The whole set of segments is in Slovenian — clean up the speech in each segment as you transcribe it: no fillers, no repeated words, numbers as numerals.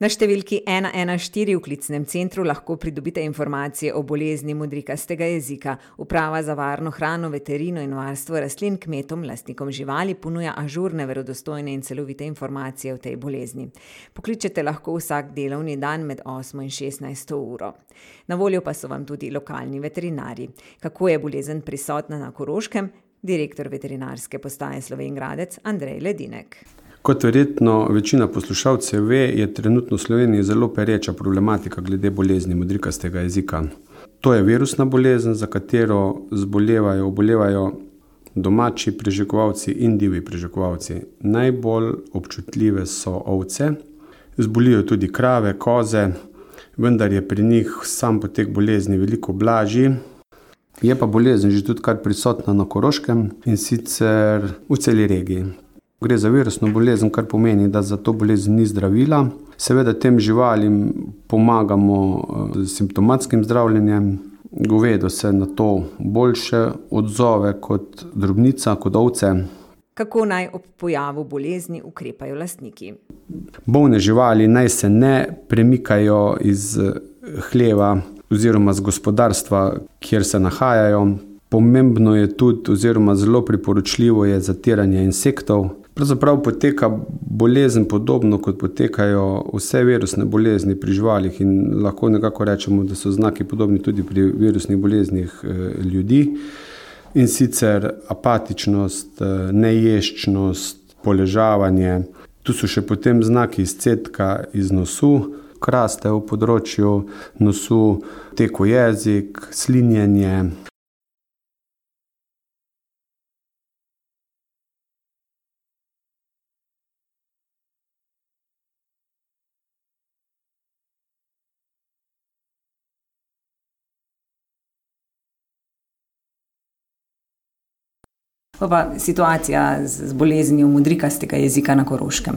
Na številki 114 v klicnem centru lahko pridobite informacije o bolezni modrikastega jezika. Uprava za varno hrano, veterino in varstvo rastlin kmetom, lastnikom živali ponuja ažurne, verodostojne in celovite informacije o tej bolezni. Pokličete lahko vsak delovni dan med 8 in 16 uro. Na voljo pa so vam tudi lokalni veterinarji. Kako je bolezen prisotna na Koroškem? Direktor veterinarske postaje Slovenj Gradec Andrej Ledinek. Kot verjetno večina poslušalcev ve, je trenutno v Sloveniji zelo pereča problematika glede bolezni modrikastega jezika. To je virusna bolezen, za katero obolevajo domači preživkovalci in divji preživkovalci. Najbolj občutljive so ovce, zbolijo tudi krave, koze, vendar je pri njih sam potek bolezni veliko blažji. Je pa bolezen že tudi kar prisotna na Koroškem in sicer v celi regiji. Gre za virusno bolezen, kar pomeni, da za to bolezen ni zdravila. Seveda tem živalim pomagamo z simptomatskim zdravljenjem. Govedo se na to boljše odzove kot drobnica, kot ovce. Kako naj ob pojavu bolezni ukrepajo lastniki? Bolne živali naj se ne premikajo iz hleva oziroma z gospodarstva, kjer se nahajajo. Pomembno je tudi oziroma zelo priporočljivo je zatiranje insektov. Pravzaprav poteka bolezen podobno, kot potekajo vse virusne bolezni pri živalih in lahko nekako rečemo, da so znaki podobni tudi pri virusnih boleznih ljudi. In sicer apatičnost, neješčnost, poležavanje. Tu so še potem znaki izcedka iz nosu, kraste v področju nosu, teko jezik, slinjenje. Pa situacija z boleznijo modrikastega jezika na Koroškem?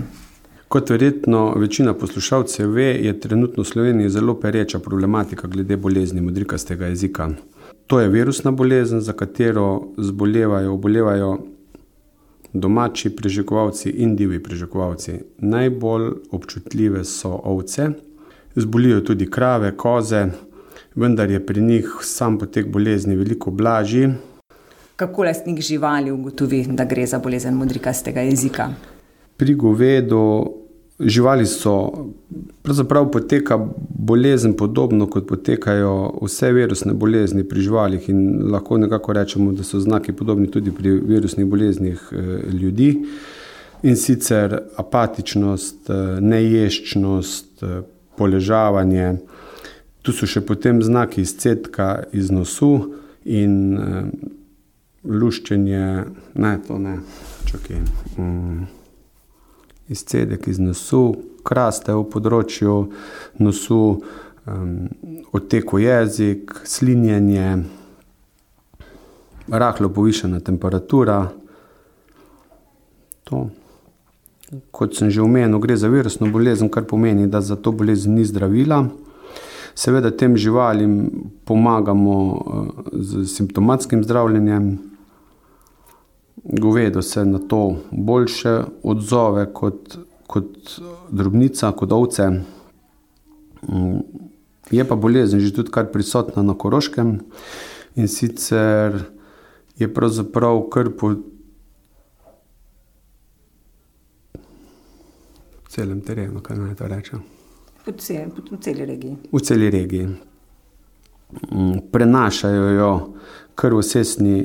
Kot verjetno večina poslušalcev ve, je trenutno v Sloveniji zelo pereča problematika glede bolezni modrikastega jezika. To je virusna bolezen, za katero obolevajo domači preživkovalci in divji preživkovalci. Najbolj občutljive so ovce, zbolijo tudi krave, koze, vendar je pri njih sam potek bolezni veliko blažji. Kako lastnik živali ugotovi, da gre za bolezen modrikastega jezika? Pri govedu živali pravzaprav poteka bolezen podobno, kot potekajo vse virusne bolezni pri živalih in lahko nekako rečemo, da so znaki podobni tudi pri virusnih boleznih ljudi. In sicer apatičnost, neješčnost, poležavanje. Tu so še potem znaki izcedka iz nosu in luščenje, izcedek iz nosu, kraste v področju nosu, odteko jezik, slinjenje, rahlo povišana temperatura. To. Kot sem že omenil, gre za virusno bolezen, kar pomeni, da za to bolezen ni zdravila. Seveda tem živalim pomagamo z simptomatskim zdravljenjem. Govedo se na to boljše odzove kot drobnica, kot ovce. Je pa bolezen že tudi kar prisotna na Koroškem in sicer je pravzaprav kar po celem terenu, kaj naj to rečem? Po celi regiji. V celi regiji. Prenašajo jo krvosesni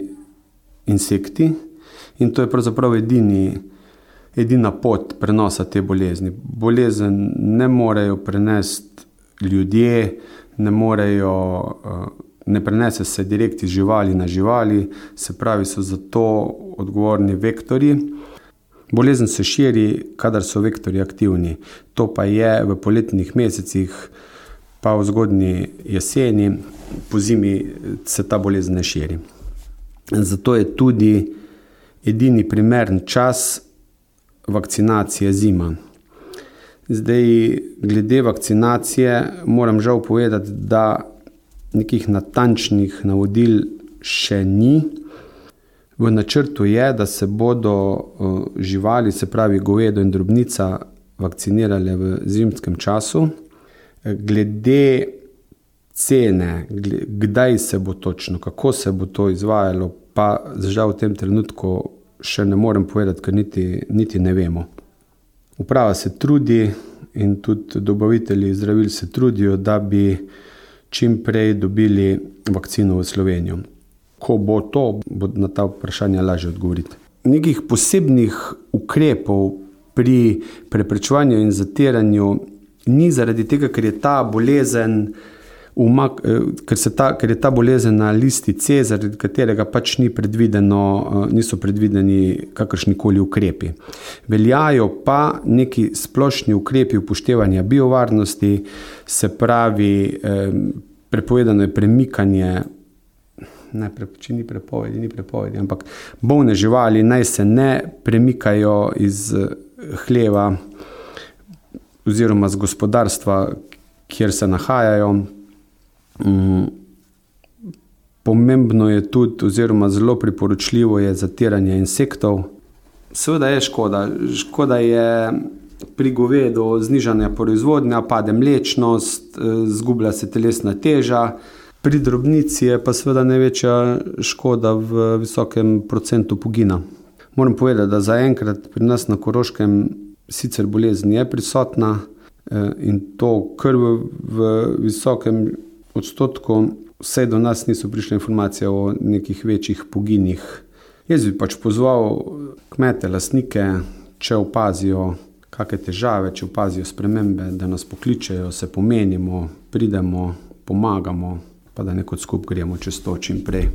insekti. In to je pravzaprav edina pot prenosa te bolezni. Bolezen ne morejo prenesti ljudje, ne prenese se direkt iz živali na živali, se pravi, so za to odgovorni vektorji. Bolezen se širi, kadar so vektorji aktivni. To pa je v poletnih mesecih, pa v zgodnji jeseni, po zimi se ta bolezen ne širi. Zato je tudi edini primeren čas vakcinacije zima. Zdaj, glede vakcinacije moram žal povedati, da nekih natančnih navodil še ni. V načrtu je, da se bodo živali, se pravi govedo in drobnica, vakcinirale v zimskem času. Glede cene, kdaj se bo točno, kako se bo to izvajalo, pa žal v tem trenutku še ne morem povedati, ker niti ne vemo. Uprava se trudi in tudi dobavitelji zdravil se trudijo, da bi čim prej dobili vakcino v Slovenijo. Ko bo to, bo na ta vprašanja lažje odgovoriti. Nekih posebnih ukrepov pri preprečevanju in zatiranju ni zaradi tega, ker je ta bolezen ker je ta bolezen na listi C, zaradi katerega pač niso predvideni kakršnikoli ukrepi. Veljajo pa neki splošni ukrepi upoštevanja biovarnosti, se pravi, prepovedano je premikanje, če ni prepovedi, ampak bolne živali naj se ne premikajo iz hleva oziroma z gospodarstva, kjer se nahajajo. Pomembno je tudi, oziroma zelo priporočljivo je zatiranje insektov. Seveda je škoda. Škoda je pri govedu znižanja proizvodnja, pade mlečnost, zgublja se telesna teža. Pri drobnici je pa seveda največja škoda v visokem procentu pogina. Moram povedati, da zaenkrat pri nas na Koroškem sicer bolezen je prisotna in to kar v visokem odstotku, vse do nas niso prišle informacije o nekih večjih poginih. Jaz bi pač pozval kmete, lastnike, če opazijo kakšne težave, če opazijo spremembe, da nas pokličejo, se pomenimo, pridemo, pomagamo, pa da nekod skupaj gremo čez to čim prej.